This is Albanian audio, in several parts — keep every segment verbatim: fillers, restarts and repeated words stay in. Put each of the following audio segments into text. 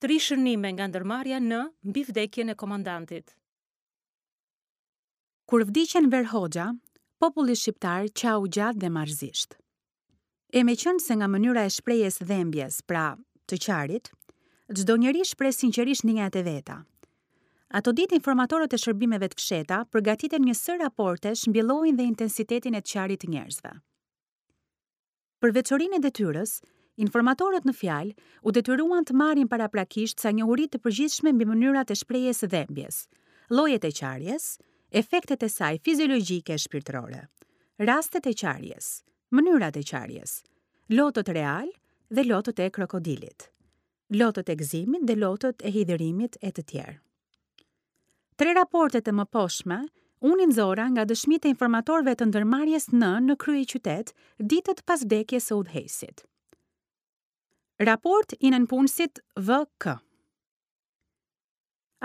Tri shënime nga ndërmarrja N mbi vdekjen e komandantit. Kur vdiq Enver Hoxha, populli shqiptar qau gjatë dhe marrëzisht. E meqenëse nga mënyra e shprehjes dhembjes, pra të qarit, çdo njeri shpreh sinqerisht ndjenjat e veta. Ato ditë informatorët e shërbimeve të fshehta përgatitën një sërë raportesh mbi llojin dhe intensitetin e të qarit të njerëzve. Për veçorinë e detyrës, informatorët në fjalë u detyruan të marrin paraprakisht ca njohuri të përgjithshme mbi mënyrat e shprehjes së dhembjes, llojet e qarjes, efektet e saj fiziologjike e shpirtërore, rastet e qarjes, mënyrat e qarjes, lotët real dhe lotët e krokodilit, lotët e gëzimit dhe lotët e hidhërimit e të tjerë. Tre raportet e mëposhtme unë i nxora nga dëshmitë e informatorëve të ndërmarrjes N në kryeqytet ditët pas vdekjes së udhëheqësit. Raport i nënpunësit V K.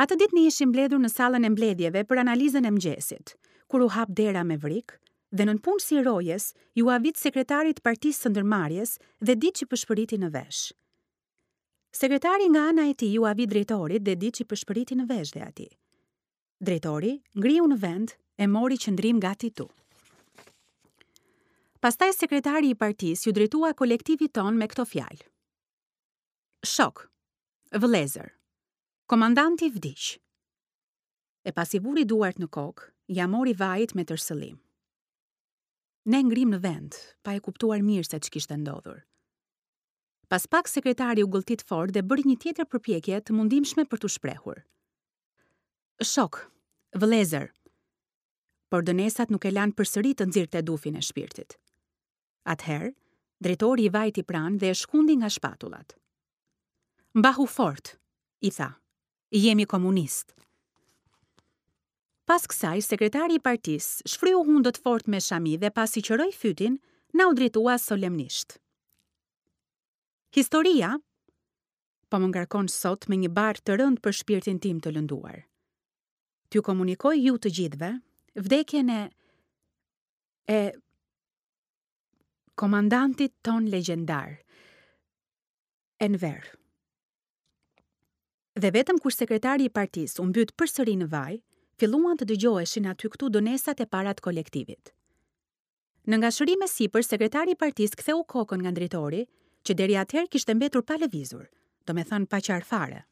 Atë ditë ne ishim mbledhur në sallën e mbledhjeve për analizën e mëngjesit, kur u hap dera me vrik dhe nënpunësi i rojes ju avit sekretarit të partisë së ndërmarrjes dhe diç i pëshpëriti në vesh. Sekretari nga ana e tij ju avit drejtorit dhe diç i pëshpëriti në vesh dhe atij. Drejtori ngriu në vend e mori qëndrim gati tu. Pastaj sekretari i partisë ju drejtua kolektivit ton me këto fjalë. Shok, vëllezër, komandanti vdiq. E pasi vuri duart në kokë, ja mori vajit me tërsëllim. Ne ngrim në vend, pa e kuptuar mirë se ç'kishte ndodhur. Pas pak sekretari u gëlltit fort dhe bëri një tjetër përpjekje të mundimshme për t'u shprehur. Shok, vëllezër, por dënesat nuk e lanë përsëri të nxirrte dufin e shpirtit. Atëherë, drejtori i vajti pranë dhe e shkundi nga shpatullat. Mbahu fort, i tha, jemi komunist. Pas kësaj, sekretari i partisë shfryu hundët fort me shami dhe pasi qëroi fytin, na u drejtua solemnisht. Historia po më ngarkon sot me një barrë të rëndë për shpirtin tim të lënduar. T'ju komunikoj ju të gjithëve vdekjen e e komandantit ton legjendar, Enver. Dhe vetëm kur sekretari i partisë u mbyt përsëri në vaj, filluan të dëgjoheshin aty këtu dënesat e para të kolektivit. Në ngashërim e sipër, sekretari i partisë ktheu kokën nga drejtori, që deri atëherë kishte mbetur pa lëvizur, domethënë pa qarë fare.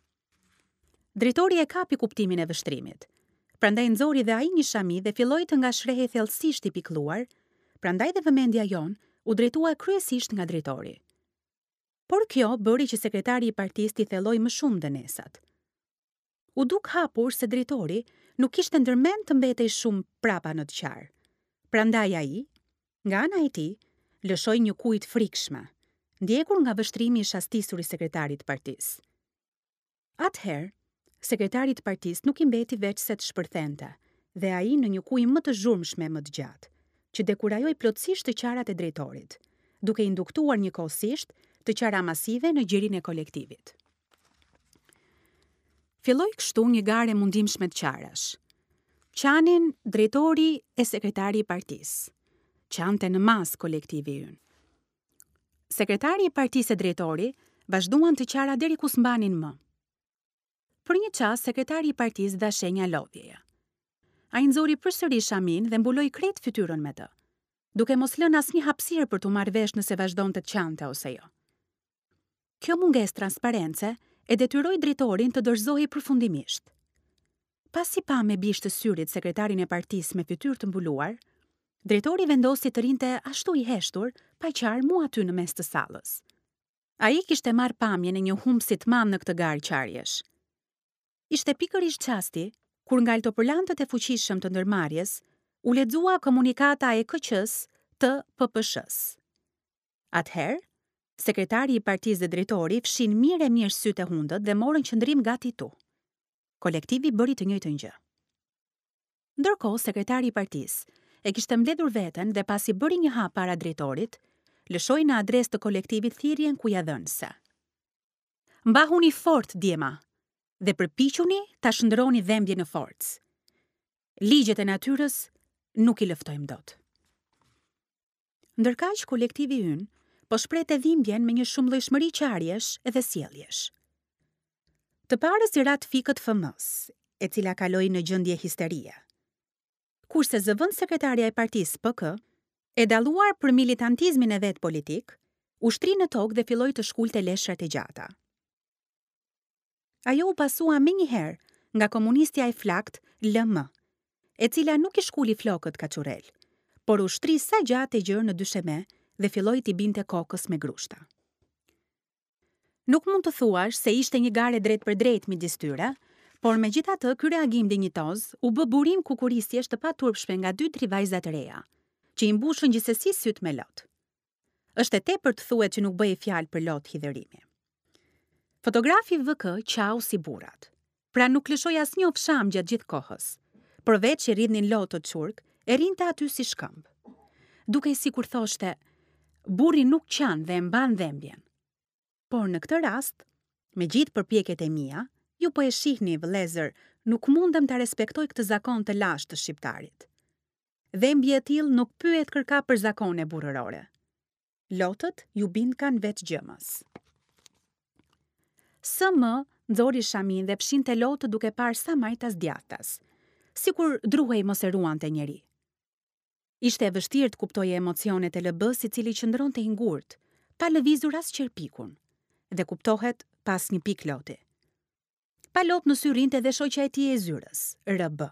Drejtori e kapi kuptimin e vështrimit. Prandaj nxori dhe ai një shami dhe filloi të ngashërehej thellësisht i pikëlluar, prandaj dhe vëmendja jonë u drejtua kryesisht nga drejtori. Por kjo bëri që sekretari i partisë t'i thelloi më shumë dënesat. U duk hapur se drejtori nuk kishte ndërmend të mbetej shumë prapa në të qarë. Prandaj ai, nga ana e tij, lëshoi një kujt frikshme, ndjekur nga vështrimi i shastisur i sekretarit të partisë. Atëherë, sekretarit të partisë nuk i mbeti veç se të shpërthente, dhe ai në një kujë më të zhurmshme më të gjatë, që dekurajoi plotësisht të qarat e drejtorit, duke induktuar njëkohësisht të qara masive në gjirin e kolektivit. Filloi kështu një garë e mundimshme të qarash. Qanin drejtori e sekretari i partisë. Qante në masë kolektivi ynë. Sekretari i partisë e drejtori vazhduan të qara deri ku s'mbanin më. Për një çast sekretari i partisë dha shenja lodhjeje. Ai nxori përsëri shamin dhe mbuloi krejt fytyrën me të, duke mos lënë asnjë hapësirë për t'u marrë vesh nëse vazhdonte të qante ose jo. Kjo mungesë transparence e detyroi drejtorin të dorëzohej përfundimisht. Pasi pa me bisht të syrit sekretarin e partisë me fytyrë të mbuluar, drejtori vendosi të rinte ashtu i heshtur, pa qarë mu aty në mes të sallës. Ai kishte marrë pamjen e një humbësi të madh në këtë garë qarjesh. Ishte pikërisht çasti kur nga altopërlantët e fuqishëm të ndërmarrjes u lexua komunikata e K Q-s të P P Sh-s. Atëherë, sekretari i partisë dhe drejtori fshin mirë e mirë sytë e hundët dhe morën qëndrim gati tu. Kolektivi bëri të njëjtën gjë. Ndërkohë, sekretari i partisë e kishte mbledhur veten dhe pasi bëri një hap para drejtorit, lëshoi në adresë të kolektivit thirrjen kujadhënëse. Mbahuni fort, djema, dhe përpiquni ta shndroni dhembjen në forcë. Ligjet e natyrës nuk i lëftojmë dot. Ndërkaq kolektivi ynë po shprehte dhimbjen me një shumëllojshmëri qarjesh edhe sjelljesh. Të parës i ra të fikët F M-s, e cila kaloi në gjendje histerie. Kurse zëvend sekretarja e partisë P K, e dalluar për militantizmin e vet politik, u shtri në tokë dhe filloi të shkulte leshrat e gjata. Ajo u pasua menjëherë nga komunistja e flakt L M, e cila nuk i shkuli flokët kaçurrel, por u shtri sa gjatë e gjerë në dysheme dhe filloi t'i binte kokës me grushta. Nuk mund të thuash se ishte një garë drejt për drejt midis tyre, por megjithatë ky reagim dinjitoz u bë burim kukurisjesh të paturpshme nga dy tri vajza të reja, që i mbushën gjithsesi syt me lot. Është e tepërt të thuhet që nuk bëhej fjalë për lot hidhërimi. Fotografi V K qau si burrat. Pra nuk lëshoi asnjë ofsham gjatë gjithë kohës. Përveç që rridhnin lotët çurk, e rrinte aty si shkëmb. Dukej sikur thoshte, burri nuk qan dhe e mban dhembjen. Por në këtë rast, me gjithë përpjekjet e mia, ju po e shihni, vëllezër, nuk mundem ta respektoj këtë zakon të lashtë të shqiptarit. Dhembje e tillë nuk pyet kërka për zakone burrërore. Lotët ju bindkan vetë gjëmës. S M nxori shamin dhe fshinte lotët duke parë sa majtas djathtas, sikur druhej mos e ruante njeri. Ishte e vështirë të kuptoje emocionet e L B-s i cili qëndronte i ngurtë, pa lëvizur as qerpikun, dhe kuptohet pas një pikë loti. Pa lot në sy rrinte dhe shoqja e tij e zyrës, R B.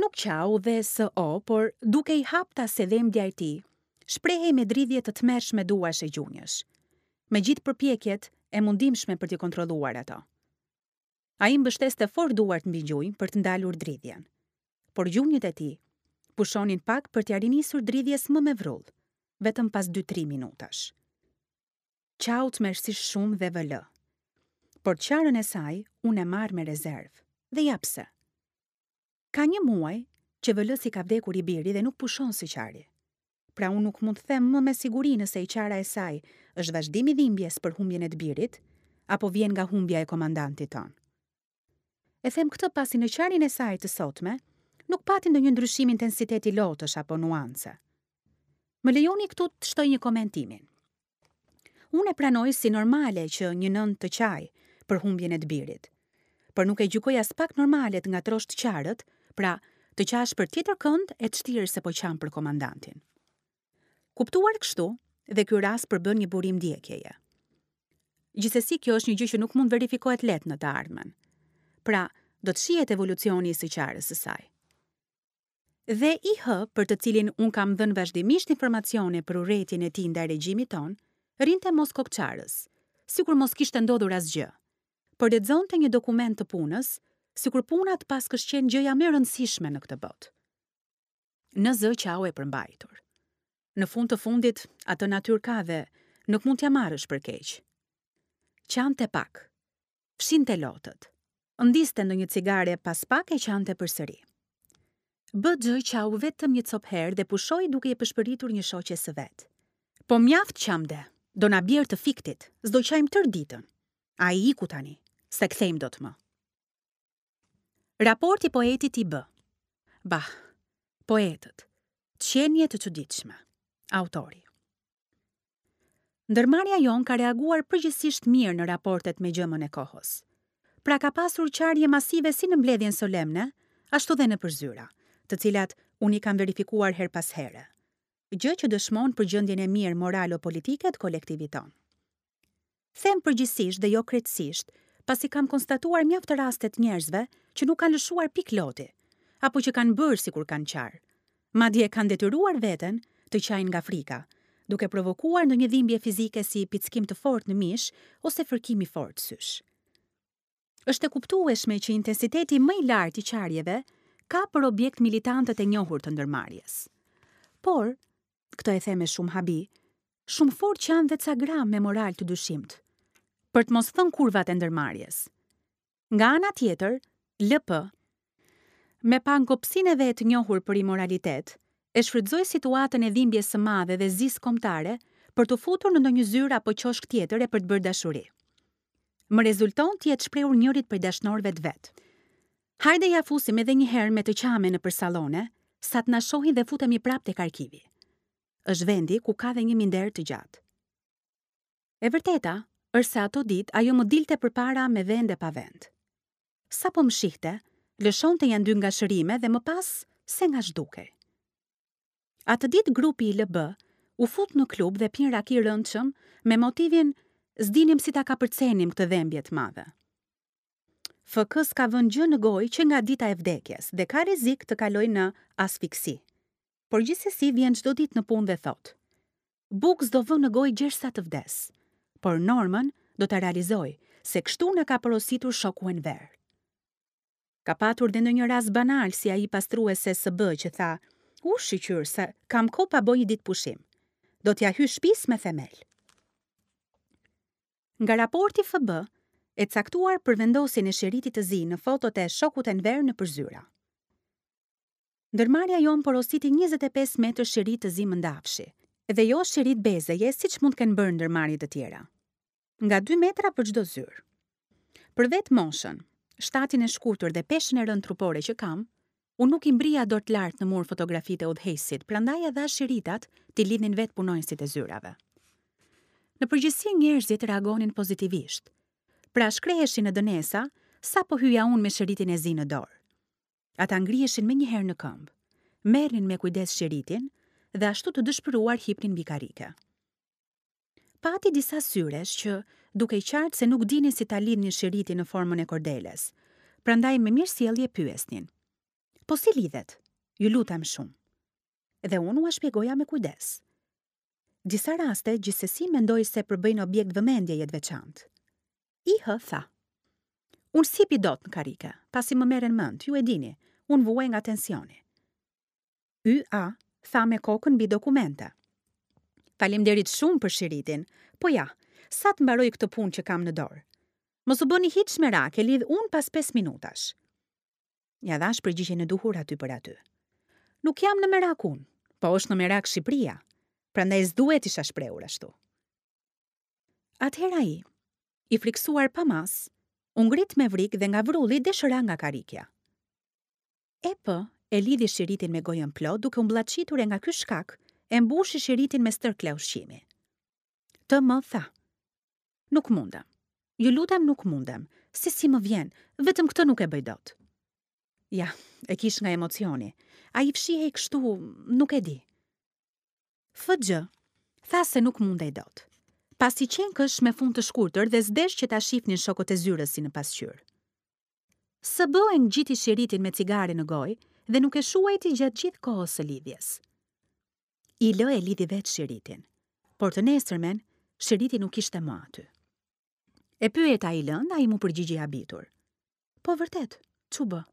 Nuk qau dhe S O, por duke i hapta se dhembja e tij, shprehej me dridhje të tmerrshme duarsh e gjunjësh, me gjithë përpjekjet e mundimshme për t'i kontrolluar ato. Ai mbështeste fort duart mbi gjunjë për të ndalur dridhjen, por gjunjët e tij pushonin pak për t'ia rinisur dridhjes më me vrull, vetëm pas dy-tri minutash. Qau tmerrësisht shumë dhe V L. Por qarën e saj unë e marr me rezervë, dhe ja pse. Ka një muaj që V L-s i ka vdekur i biri dhe nuk pushon së qari. Pra unë nuk mund të them më me siguri nëse i qara e saj është vazhdim i dhimbjes për humbjen e të birit, apo vjen nga humbja e komandantit ton. E them këtë pasi në qarjen e saj të sotme, nuk pati ndonjë ndryshim intensiteti lotësh apo nuance. Më lejoni këtu të shtoj një komentimin. Unë e pranoj si normale që një nënë të qaj për humbjen e të birit, por nuk e gjykoj as pak normale të ngatrosh të qarët, pra të qash për tjetër kënd e të shtirë se po qan për komandantin. Kuptuar kështu, dhe ky rast përbën një burim ndjekjeje. Gjithsesi, kjo është një gjë që nuk mund verifikohet lehtë në të ardhmen. Pra, do të shihet evolucioni i së qarës së saj. Dhe I H, për të cilin unë kam dhënë vazhdimisht informacione për urrejtjen e tij ndaj regjimit ton, rrinte mos kokçarës, sikur mos kishte ndodhur asgjë, por lexonte një dokument të punës, sikur puna të paskësh qenë gjëja më e rëndësishme në këtë botë. Në zë qau e përmbajtur. Në fund të fundit, atë natyrë ka dhe nuk mund t'ja marrësh për keq. Qante pak, fshinte lotët, ndiste ndonjë cigare pas pak e qante përsëri. B G qau vetëm një copë herë dhe pushoi duke i pëshpëritur një shoqe së vet. Po mjaft qamde, do na bjerë të fiktit, s'do qajmë tërë ditën. Ai iku tani, s'e kthejmë dot më. Raporti poetit i B. Bah, poetët, qenie të çuditshme. Autori. Ndërmarrja jon ka reaguar përgjithsisht mirë në raportet me gjëmën e kohës. Pra ka pasur qarje masive si në mbledhjen solemne, ashtu dhe në përzyra, të cilat unë i kam verifikuar her pas here, gjë që dëshmon për gjendjen e mirë moralo-politike të kolektivit ton. Them përgjithsisht dhe jo krejtësisht, pasi kam konstatuar mjaft raste të njerëzve që nuk kanë lëshuar pikë loti, apo që kanë bërë sikur kanë qarë. Madje kanë detyruar veten të qajnë nga frika, duke provokuar ndonjë dhimbje fizike si pickim të fortë në mish ose fërkim i fortë sysh. Është e kuptueshme që intensiteti më i lartë i qarjeve ka për objekt militantët e njohur të ndërmarrjes. Por, këtë e them me shumë habi, shumë fort qanë dhe ca gra me moral të dyshimt, për të mos thënë kurvat e ndërmarrjes. Nga ana tjetër, L P, me pangopsinë e vet njohur për imoralitet, e shfrytëzoi situatën e dhimbjes së madhe dhe zisë kombëtare për t'u futur në ndonjë zyrë apo qoshk tjetër e për të bërë dashuri. Më rezulton të jetë shprehur njërit prej dashnorëve të vet. Hajde ja fusim edhe një herë me të qame nëpër sallone, sa të na shohin dhe futemi prapë tek arkivi. Është vendi ku ka dhe një minder të gjatë. E vërteta është se ato ditë ajo më dilte përpara me vend e pa vend. Sapo më shihte, lëshonte nja dy ngashërime dhe më pas se nga zhdukej. Atë ditë grupi i L B u fut në klub dhe pinë raki rëndshëm me motivin s'dinim si ta kapërcenim këtë dhembje të madhe. F K s'ka vënë gjë në gojë që nga dita e vdekjes dhe ka rrezik të kalojë në asfiksi. Por gjithsesi vjen çdo ditë në punë dhe thotë: "Bukë s'do vë në gojë gjersa të vdes, por normën do ta realizoj, se kështu na ka porositur shoku Enver." Ka patur dhe ndonjë rast banal si ai pastrueses së B që tha: "U shyqyr se kam kohë pa bë një ditë pushim. Do t'ja hy shtëpisë me themel." Nga raporti F B, e caktuar për vendosjen e shiritit të zi në fotot e shokut Enver në përzyra. Ndërmarrja jonë porositi njëzet e pesë metër shirit të zi mëndafshi, dhe jo shirit bezeje siç mund të kenë bërë ndërmarrje të tjera. Nga dy metra për çdo zyrë. Për vetë moshën, shtatin e shkurtër dhe peshën e rëndë trupore që kam, unë nuk i mbrija dot lart në mur fotografitë e udhëheqësit, prandaj e dha shiritat t'i lidhnin vetë punonjësit e zyrave. Në përgjithësi njerëzit reagonin pozitivisht. Pra shkreheshin në dënesa sapo hyja unë me shiritin e zi në dorë. Ata ngriheshin menjëherë në këmbë, merrnin me kujdes shiritin dhe ashtu të dëshpëruar hipnin mbi karrike. Pati disa syresh që duke qartë se nuk dinin si ta lidhnin shiritin në formën e kordeles, prandaj me mirësjellje pyesnin: "Po si lidhet? Ju lutem shumë." Dhe unë ua shpjegoja me kujdes. Disa raste gjithsesi mendoj se përbëjnë objekt vëmendjeje të veçantë. I H tha: "Unë s'hipi dot në karrike, pasi më merren mend, ju e dini, unë vuaj nga tensioni." Y A tha me kokën mbi dokumente: "Faleminderit shumë për shiritin, po ja, sa të mbaroj këtë punë që kam në dorë. Mos u bëni hiç merak, e lidh unë pas pesë minutash." Ja dhash përgjigjen e duhur aty për aty. Nuk jam në merak unë, po është në merak Shqipëria, prandaj s'duhet isha shprehur ashtu. Atëherë ai, i friksuar pa mas, u ngrit me vrik dhe nga vrulli deshëra nga karrikja. E P e lidhi shiritin me gojën plot duke u mbllaçitur e nga ky shkak e mbushi shiritin me stërkle ushqimi. Të më tha: "Nuk mundem. Ju lutem, nuk mundem. Se si më vjen, vetëm këtë nuk e bëj dot." Ja, e kish nga emocioni. Ai fshihej kështu, nuk e di. F G tha se nuk mundej dot, pasi qenkësh me fund të shkurtër dhe s'desh që ta shihnin shokët e zyrës si në pasqyrë. S B e ngjiti shiritin me cigare në gojë dhe nuk e shuajti gjatë gjithë kohës së lidhjes. I L e lidhi vetë shiritin, por të nesërmen shiriti nuk ishte më aty. E pyeta I L-n, ai mu përgjigj i habitur: "Po vërtet, ç'u bë?"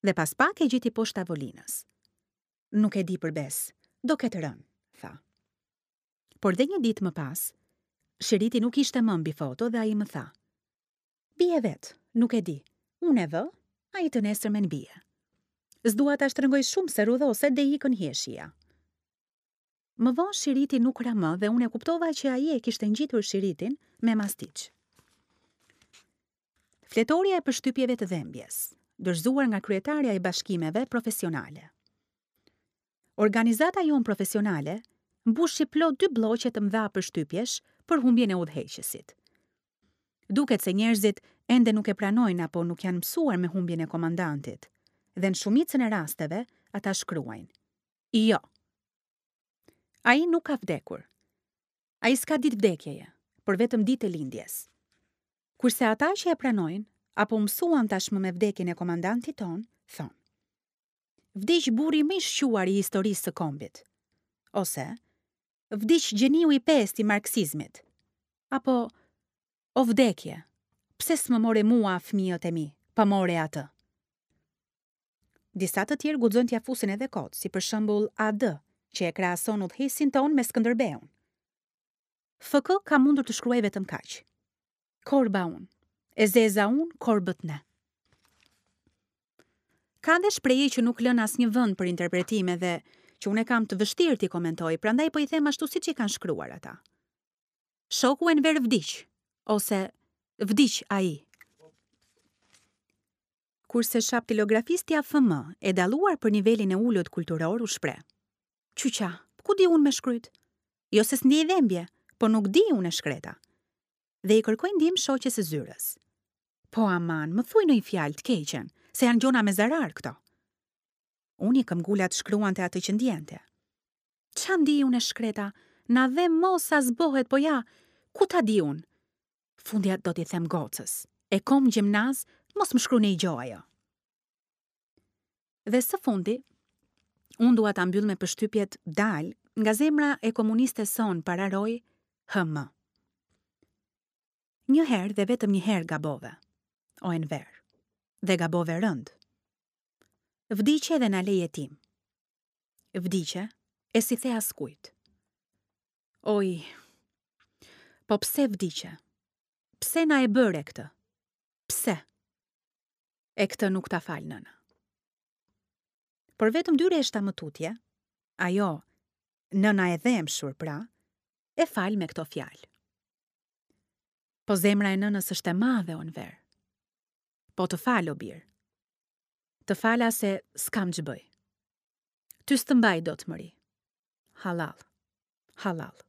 Dhe pas pak e gjeti poshtë tavolinës. "Nuk e di për bes, do ketë rënë," tha. Por dhe një ditë më pas, shiriti nuk ishte më mbi foto dhe ai më tha: "Bie vetë, nuk e di, unë e vë, ai të nesërmen bie. S'dua ta shtrëngoj shumë se rrudhoset dhe ikën hijeshia." Më vonë shiriti nuk ra më dhe unë e kuptova që ai e kishte ngjitur shiritin me mastiq. Fletoria e përshtypjeve të dhembjes, dorëzuar nga kryetarja e bashkimeve profesionale. Organizata jonë profesionale mbushi plot dy blloqe të mëdha përshtypjesh për humbjen e udhëheqësit. Duket se njerëzit ende nuk e pranojnë apo nuk janë mësuar me humbjen e komandantit, dhe në shumicën e rasteve ata shkruajnë: "Jo. Ai nuk ka vdekur. Ai s'ka ditë vdekjeje, por vetëm ditë e lindjes." Kurse ata që e pranojnë apo mësuan tashmë me vdekjen e komandantit ton, thonë: "Vdiq burri më i shquar i historisë së kombit." Ose "Vdiq gjeniu i pestë i marksizmit." Apo "O vdekje, pse s'më more mua fëmijët e mi, pa more atë?" Disa të tjerë guxojnë t'ja fusin edhe kot, si për shembull A D, që e krahason udhëheqësin ton me Skënderbeun. F K ka mundur të shkruaj vetëm kaq: "Korba unë, e zeza unë, korbët ne." Ka dhe shprehje që nuk lën asnjë vend për interpretime dhe që unë e kam të vështirë t'i komentoj, prandaj po i them ashtu siç i kanë shkruar ata. "Shoku Enver vdiq", ose "Vdiq ai." Kurse shaptilografistja F M, e dalluar për nivelin e ulët kulturor, u shpreh: "Qyqa, ku di unë me shkryt? Jo se s'ndjej dhembje, po nuk di unë e shkreta." Dhe i kërkoi ndihmë shoqes së zyrës. Po aman, më thuj ndonjë fjalë të keqen, se janë gjona me zarar këto. Uni këmbgula të shkruante atë që ndjente. Ça ndi unë e shkreta, na dhe mos sa zbohet, po ja, ku ta di unë? Fundja do t'i them gocës, e kom gjimnaz, mos më shkru një gjo ajo. Dhe së fundi, unë dua ta mbyll me përshtypjet dal nga zemra e komunistes sonë pararoj H M. Një herë dhe vetëm një herë gabove, o Enver, dhe gabove rënd. Vdiqe dhe na le jetim. Vdiqe e s'i the askujt. Oj, po pse vdiqe? Pse na e bëre këtë? Pse? E këtë nuk ta fal nëna. Por vetëm dy rreshta më tutje, ajo, nëna e dhemshur pra, e fal me këto fjalë. Po zemra e nënës është e madhe, o Enver. Po të fal, o bir. Të fala se s'kam ç'bëj. Ty s'të mbaj dot mëri. Hallall. Hallall.